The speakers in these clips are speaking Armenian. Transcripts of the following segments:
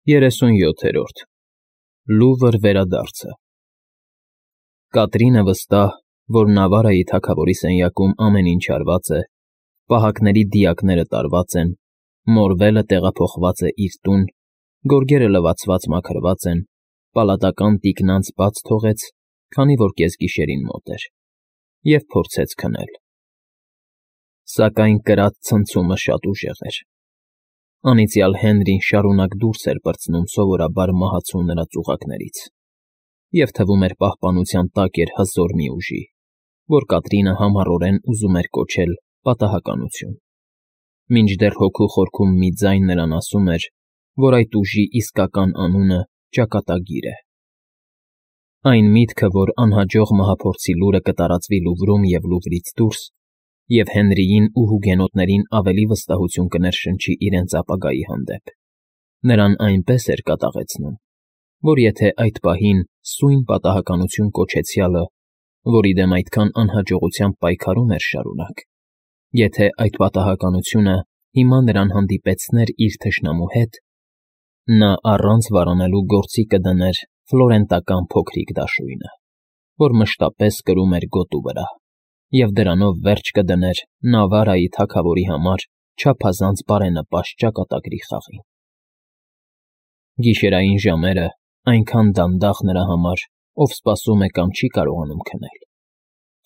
37-րդ Լուվր վերադարձը Կատրինը վստահ, որ Նավարայի թագավորի սենյակում ամեն ինչ արված է, պահակների դիակները տարված են, մորվելը տեղափոխված է իր տուն, գորգերը լվացված մաքրված են, պալատական տիկնանց բաց թողեց, քանի որ կեսգիշերին մոտ էր, և փորձեց քնել. Սակայն կրած ցնցումը շատ ուժեղ էր. անիծյալ Հենրին շարունակ դուրս էր պրծնում սովորաբար մահացու նրա ծուղակներից, և թվում էր պահպանության տակ էր հզոր մի ուժի, որ Կատրինը համառորեն ուզում էր կոչել պատահականություն, մինչդեռ հոգու խորքում մի ձայն նրան ասում էր, որ այդ ուժի իսկական անունը ճակատագիր է. այն միտքը, որ անհաջող մահափորձի լուրը կտարածվի Լուվրում և Լուվրից դուրս, և Հենրիին ու հուգենոտներին ավելի վստահություն կներշնչի իրենց ապագայի հանդեպ, նրան այնպես էր կատաղեցնում, որ եթե այդ պահին սույն պատահականություն կոչեցյալը, որի դեմ այդքան անհաջողությամբ պայքարում էր շարունակ, եթե այդ պատահականությունը հիմա նրան հանդիպեցներ իր թշնամու հետ, նա առանց վարանելու գործի կդներ ֆլորենտական փոքրիկ դաշույնը, որ մշտապես կրում էր գոտու վրա, և դրանով վերջ կդներ Նավարայի թագավորի համար չափազանց բարենպաստ ճակատագրի խաղին։ Գիշերային ժամերը այնքան դանդաղ նրա համար, ով սպասում է կամ չի կարողանում քնել,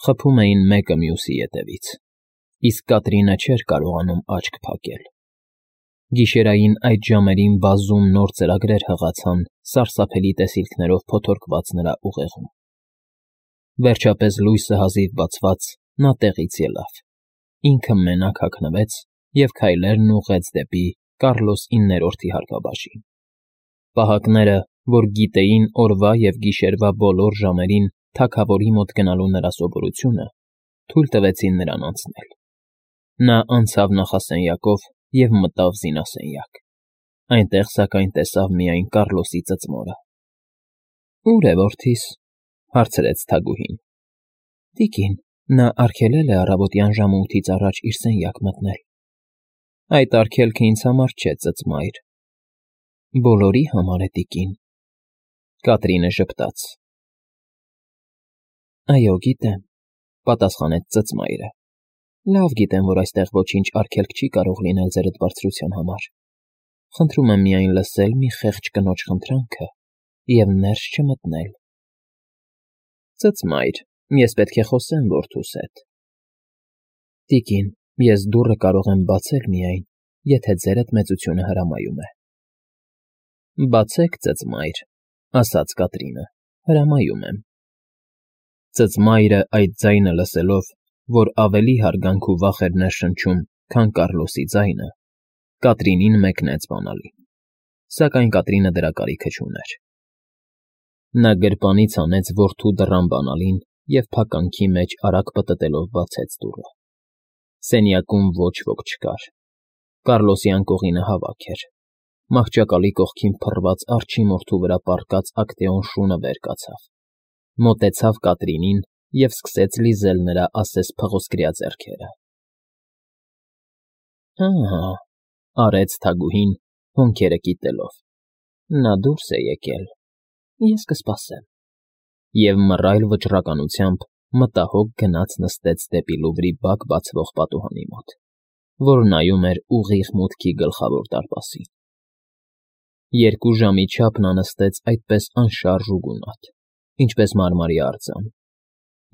խփում էին մեկը մյուսի ետևից, իսկ Կատրինը չէր կարողանում աչք փակել։ Գիշերային այդ ժամերին բազում նոր ծրագրեր հղացան սարսափելի տեսիլքներով փոթորկված նրա ուղեղում։ Վերջապես լույսը հազիվ բացված նա տեղից ելավ, ինքը մենակ հագնվեց և քայլերն ուղղեց դեպի Կառլոս 9-րդի հարկաբաժին։ Պահակները, որ գիտեին օրվա և գիշերվա բոլոր ժամերին թագավորի մոտ գնալու նրա սովորությունը, թույլ տվեցին նրան անցնել։ Նա անցավ նախասենյակով և մտավ զինասենյակ։ Այնտեղ, սակայն, տեսավ միայն Կառլոսի ծծմորը։ «Ո՞ւր է որդիս,» հարցրեց թագուհին։ «Տիկին, նա արգելել է առավոտյան ժամը 8-ից առաջ իր սենյակ մտնել»։ «Այդ արգելքը ինձ համար չէ, ծծմայր»։ «Բոլորի համար է, տիկին»։ Կատրինը ժպտաց։ «Այո, գիտեմ», պատասխանեց ծծմայրը։ «Լավ գիտեմ, որ այստեղ ոչինչ արգելք չի կարող լինել ձերդ բարձրության համար։ Խնդրում եմ միայն լսել մի խեղճ կնոջ խնդրանքը և ներս չմտնել»։ «Ծծմայր, ես պետք է խոսեմ որդուս հետ»։ «Տիկին, ես դուռը կարող եմ բացել միայն, եթե ձերդ մեծությունը հրամայում է»։ «Բացեք, ծծմայր», ասաց Կատրինը, «հրամայում եմ»։ Ծծմայրը այդ ձայնը լսելով, որ ավելի հարգանք ու վախ էր ներշնչում, քան Կառլոսի ձայնը, Կատրինին մեկնեց բանալին, սակայն Կատրինը դրա կարիքը չուներ։ Նա գրպանից հանեց որդու դռան բանալին և փականքի մեջ արագ պտտելով բացեց դուռը։ Սենյակում ոչ ոք չկար։ Կառլոսի անկողինը հավաք էր։ Մահճակալի կողքին փռված արջի մորթու վրա պառկած Ակտեոն շունը վեր կացավ, մոտեցավ Կատրինին և սկսեց լիզել նրա ասես փղոսկրյա ձեռքերը։ «Ահա,» արեց թագուհին, հոնքերը կիտելով,֊ նա դուրս է եկել, ես կսպասեմ»։ Եվ մռայլ վճռականությամբ մտահոգ գնաց նստեց դեպի Լուվրի բակ բացվող պատուհանի մոտ, որ նայում էր ուղիղ մուտքի գլխավոր դարպասին։ 2 ժամի չափ նա նստեց այդպես անշարժ ու գունատ, ինչպես մարմարի արձան,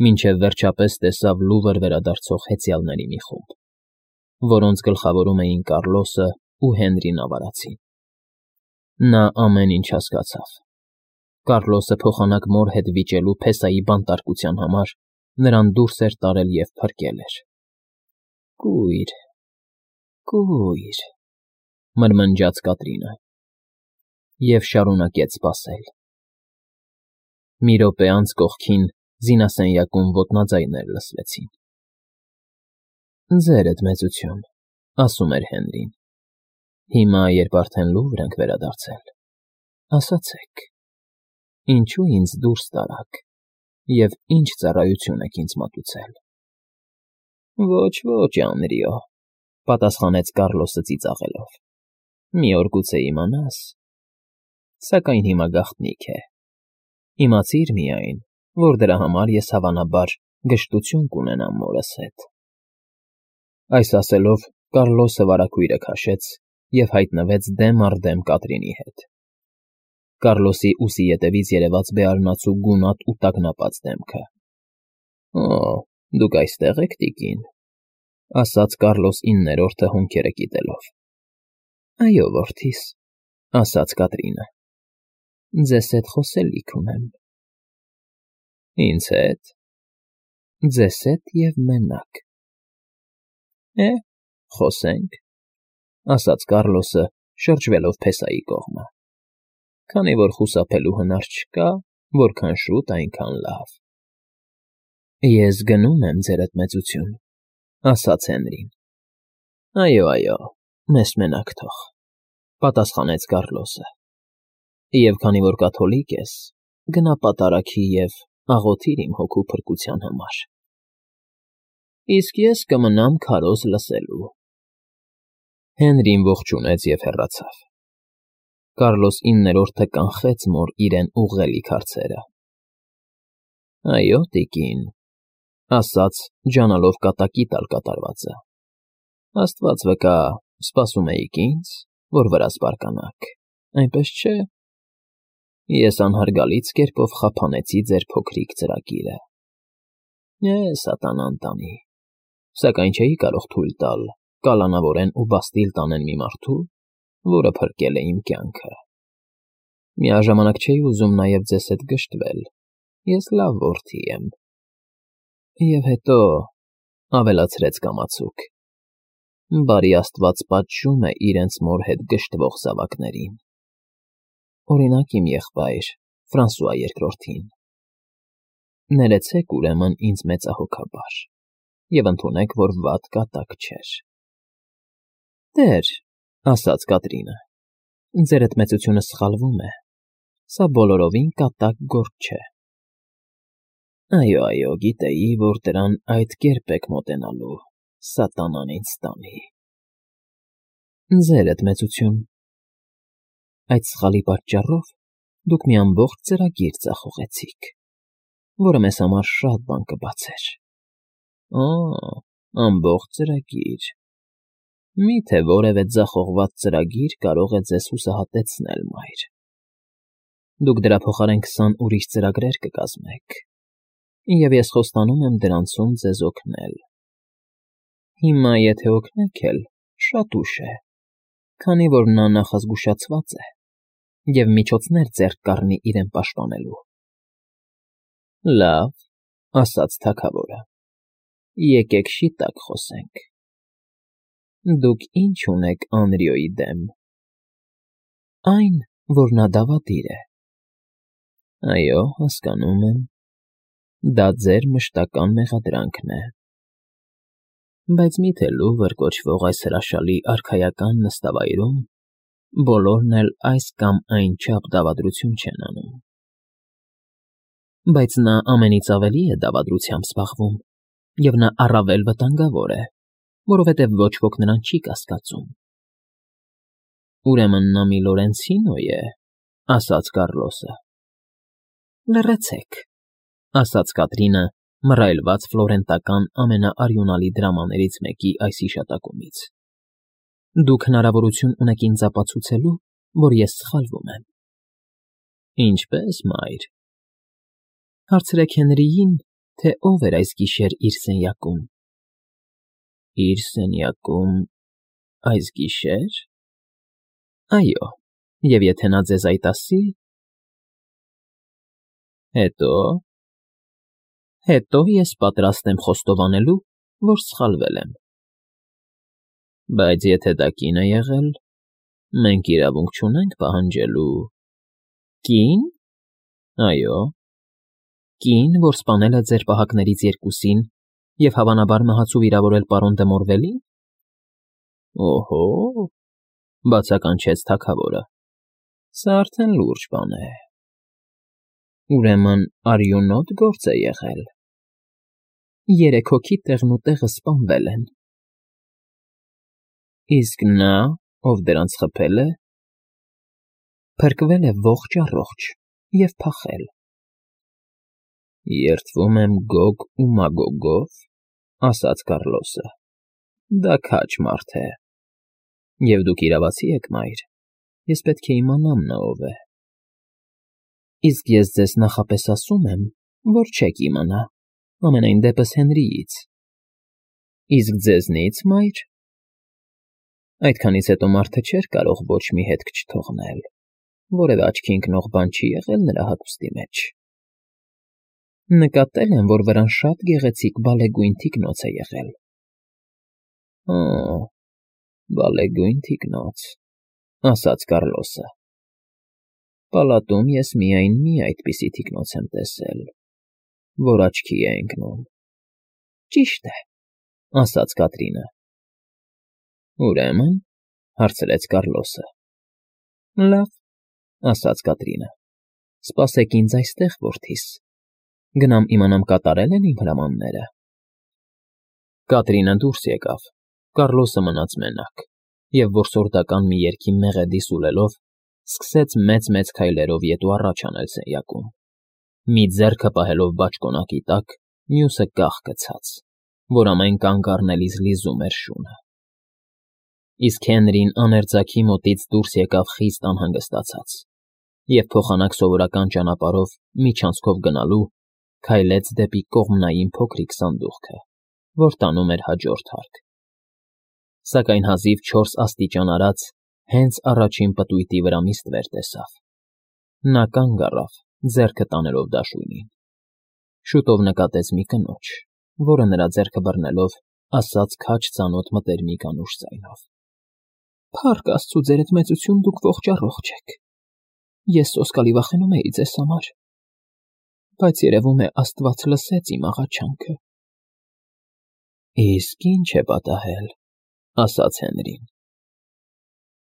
մինչև վերջապես տեսավ Լուվր վերադարձող հեծյալների մի խումբ, որոնց գլխավորում էին Կառլոսը ու Հենրի Նավարացին։ Նա ամեն ինչ հասկացավ։ Կառլոսը փոխանակ մոր հետ վիճելու փեսայի բանտարկության համար նրան դուրս էր տարել և փրկել էր։ «Կույր, կույր», մրմնջաց Կատրինը և շարունակեց սպասել։ Մի րոպե անց կողքին զինասենյակում ոտնաձայներ լսվեցին։ «Ձերդ մեծություն», ասում էր Հենրին, «հիմա, երբ արդեն Լուվր ենք վերադարձել, ասացեք, ինչո՞ւ ինձ դուրս տարաք և ինչ ծառայություն եք ինձ մատուցել»։ «Ոչ, Անրիո», պատասխանեց Կառլոսը ծիծաղելով, «մի օր գուցե իմանաս, Սակայն հիմա գաղտնիք է։ Իմացիր միայն, որ դրա համար ես հավանաբար գժտություն կունենամ մորս հետ։ Այս ասելով Կառլոսը վարագույրը քաշեց և հայտնվեց դեմ առ դեմ Կատրինի հետ։ Կառլոսի ուսի ետևից երևաց բեարնացու գունատ ու տագնապած դեմքը։ «Օ, դուք այստեղ եք, տիկին», ասաց Կառլոս IX-րդը հոնքերը կիտելով։ «Այո, որդիս», ասաց Կատրինը։ «Ձեզ հետ խոսելիք ունեմ»։ «Ինձ հետ»։ «Ձեզ հետ և մենակ»։ Խոսենք, ասաց Կառլոսը, շրջվելով փեսայի կողմը։ Քանի որ խուսափելու հնար չկա, որքան շուտ, այնքան լավ։ Ես գնում եմ, ձերդ մեծություն, ասաց Հենրին։ Այո, մեզ մենակ թող, պատասխանեց Կառլոսը։ Եվ քանի որ կաթոլիկ ես, գնա պատարագի և աղոթիր իմ հոգու փրկության համար։ Իսկ ես կմնամ քարոզ լսելու։ Հենրին ողջունեց և հեռացավ։ Կառլոս IX-րդը կանխեց մոր իրեն ուղղելիք հարցերը։ Այո, տիկին, ասաց, ջանալով կատակի տալ կատարվածը։ Աստված վկա, սպասում էիք ինձ, որ վրաս բարկանաք, այնպես չէ։ Ես անհարգալից կերպով խափանեցի ձեր փոքրիկ ծրագիրը։ Սատանան տանի, սակայն չէի կարող թույլ տալ կալանավորեն ու բաստիլ տանեն մի մարդու, որը փրկել է իմ կյանքը։ Միաժամանակ չէի ուզում նաև ձեզ հետ գժտվել, ես լավ որդի եմ։ Եվ հետո, ավելացրեց կամացուկ, բարի Աստված պատժում է իրենց մոր հետ գժտվող զավակներին։ Օրինակ իմ եղբայր Ֆրանսուଆ II-ին։ Ներեցեք ուրեմն ինձ մեծահոգաբար և ընդունեք, որ վատ կատակ չէր։ Տեր, ասաց Կատրինը, ձերդ մեծությունը սխալվում է, սա բոլորովին կատակ գործ չէ։ Այո, գիտեի, որ դրան այդ կերպ եք մոտենալու, սատանան ինձ տանի։ Ձերդ մեծություն, այդ սխալի պատճառով դուք մի ամբողջ ծրագիր ձախողեցիք, որը մեզ համար շատ բան կբացեր։ Ամբողջ ծրագիր։ Մի՞թե որևէ ձախողված ծրագիր կարող է ձեզ հուսահատեցնել, մայր։ Դուք դրա փոխարեն 20 ուրիշ ծրագրեր կկազմեք, և ես խոստանում եմ դրանցում ձեզ օգնել։ Հիմա, եթե օգնեք էլ, շատ ուշ է, քանի որ նա նախազգուշացված է և միջոցներ ձեռք կառնի իրեն պաշտպանելու։ Լավ, ասաց թագավորը, եկեք շիտակ խոսենք։ Դուք ինչ ունեք Անրիոյի դեմ։ Այն, որ նա դավադիր է։ Այո, հասկանում եմ։ Դա ձեր մշտական մեղադրանքն է։ Բայց մի՞թե Լուվր կոչվող այս հրաշալի արքայական նստավայրում բոլորն էլ այս կամ այն չափ դավադրություն չեն անում։ Բայց նա ամենից ավելի է դավադրությամբ զբաղվում, և նա առավել վտանգավոր է, որովհետև ոչ ոք նրան չի կասկածում։ Ուրեմն նա մի Լորենցինո է, ասաց Կառլոսը։ Լռեցեք, ասաց Կատրինը, մռայլված ֆլորենտական ամենաարյունալի դրամաներից մեկի այս հիշատակումից։ Դուք հնարավորություն ունեք ինձ ապացուցելու, որ ես սխալվում եմ։ Ինչպե՞ս, մայր։ Հարցրեք Հենրիին, թե ով էր այս գիշեր իր սենյակում։ Իր սենյակում այս գիշեր։ Այո, և եթե նա ձեզ այդ ասի… Հետո ես պատրաստ եմ խոստովանելու, որ սխալվել եմ։ Բայց եթե դա կին է եղել, մենք իրավունք չունենք պահանջելու… Կի՞ն։ Այո, կին, որ սպանել է ձեր պահակներից երկուսին և հավանաբար մահացու վիրավորել պարոն դը Մորվելին։ Օհո, բացականչեց թագավորը, սա արդեն լուրջ բան է։ Ուրեմն արյունոտ գործ է եղել։ 3 հոգի տեղնուտեղը սպանվել են։ Իսկ նա, ով դրանց խփել է… Փրկվել է ողջ առողջ և փախել։ Երդվում եմ Գոգ ու Մագոգով, ասաց Կառլոսը, դա քաջ մարդ է։ Եվ դուք իրավացի եք, մայր, ես պետք է իմանամ նա ով է։ Իսկ ես ձեզ նախապես ասում եմ, որ չեք իմանա, ամենայն դեպս Հենրիից։ Իսկ ձեզնից, մայր։ Այդքանից հետո մարդը չէր կարող ոչ մի հետք չթողնել, որևէ աչքի ընկնող բան չի եղել նրա հագուստի մեջ։ Նկատել եմ, որ վրան շատ գեղեցիկ բալեգույն թիկնոց է եղել։ Օ, բալեգույն թիկնոց, ասաց Կառլոսը։ Պալատում ես միայն մի այդպիսի թիկնոց եմ տեսել, որ աչքի է ընկնում։ Ճիշտ է, ասաց Կատրինը։ Ուրեմն, հարցրեց Կառլոսը։ Լավ, ասաց Կատրինը, սպասեք ինձ այստեղ, որդիս, գնամ իմանամ կատարել են իմ հրամանները։ Կատրինը դուրս եկավ, Կառլոսը մնաց մենակ, և որսորդական մի երգի մեղեդի սուլելով, սկսեց մեծ-մեծ քայլերով ետ ու առաջ անել սենյակում, մի ձեռքը պահելով բաճկոնակի տակ, մյուսը կաղ գցած, որ ամեն կանգ առնելիս լիզում էր շունը։ Իսկ Հենրին աներձակի մոտից դուրս եկավ խիստ անհանգստացած և փոխանակ սովորական ճանապարհով միջանցքով գնալու քայլեց դեպի կողմնային փոքրիկ սանդուղքը, որ տանում էր հաջորդ հարկ։ Սակայն հազիվ 4 աստիճան արած հենց առաջին պտույտի վրա մի ստվեր տեսավ։ Նա կանգ առավ, ձեռքը տանելով դաշույնին։ Շուտով նկատեց մի կնոջ, որը նրա ձեռքը բռնելով ասաց քաջ ծանոթ մտերմիկ անուշ ձայնով. Փառք Աստծու, ձերդ մեծություն, դուք ողջ առողջ եք։ Ես սոսկալի վախենում էի ձեզ համար, բայց երևում է Աստված լսեց իմ աղաչանքը։ Իսկ ինչ է պատահել, ասաց Հենրին։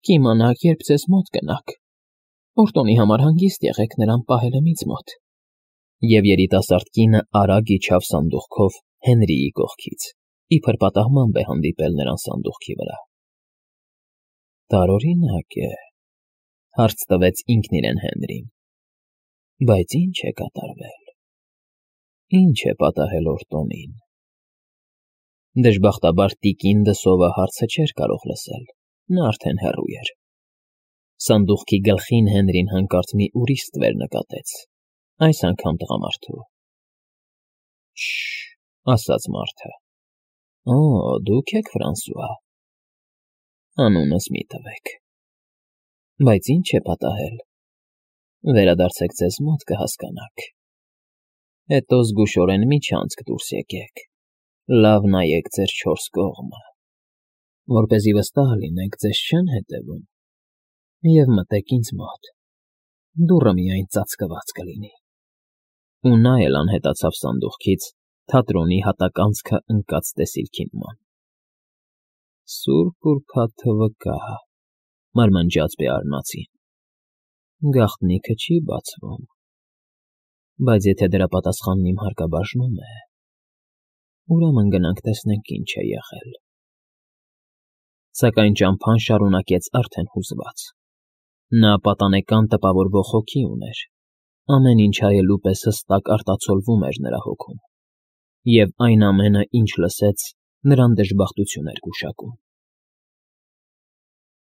Կիմանաք, երբ ձեզ մոտ կնաք։ Օրտոնի համար հանգիստ եղեք, նրան պահել եմ ինձ մոտ։ Եվ երիտասարդ կինը արագ իջավ սանդուղքով Հենրիի կողքից, իբր պատահմամբ է հանդիպել նրան սանդուղքի վրա։ Տարօրինակ է, հարց տվեց ինքն իրեն Հենրին, բայց ինչ է կատարվել, ինչ է պատահել Օրտոնին։ Դժբախտաբար տիկին Դսովը հարցը չէր կարող լսել, նա արդեն հեռու էր։ Սանդուղքի գլխին Հենրին հանկարծ մի ուրիշ ստվեր նկատեց, այս անգամ տղամարդու։ Շ, ասաց մարդը։ Օ, դուք եք Ֆրանսուଆ։ Անունս մի տվեք։ Բայց ինչ է պատահել։ Վերադարձեք ձեզ մոտ կհասկանաք։ Հետո զգուշորեն միջանցք դուրս եկեք։ Լավ նայեք ձեր 4 կողմը, որպեսզի վստահ լինեք, ձեզ չեն հետևում։ Եվ մտեք ինձ մոտ։ Դուռը միայն ծածկված կլինի։ Ու նա էլ անհետացավ սանդուղքից թատրոնի հատականցքը ընկած տեսիլքի նման։ Սուրբ ուրբաթ թվկա, մարմնջաց Բեարնացին։ Գաղտնիքը չի բացվում, բայց եթե դրա պատասխանն իմ հարկաբաժնում է, ուրեմն գնանք տեսնենք ինչ է եղել։ Սակայն ճամփան շարունակեց արդեն հուզված։ Նա պատանեկան տպավորվող հոգի ուներ, ամեն ինչ հայելու պես հստակ արտացոլվում էր նրա հոգում, և այն ամենը, ինչ լսեց, նրան դժբախտություն էր գուշակում։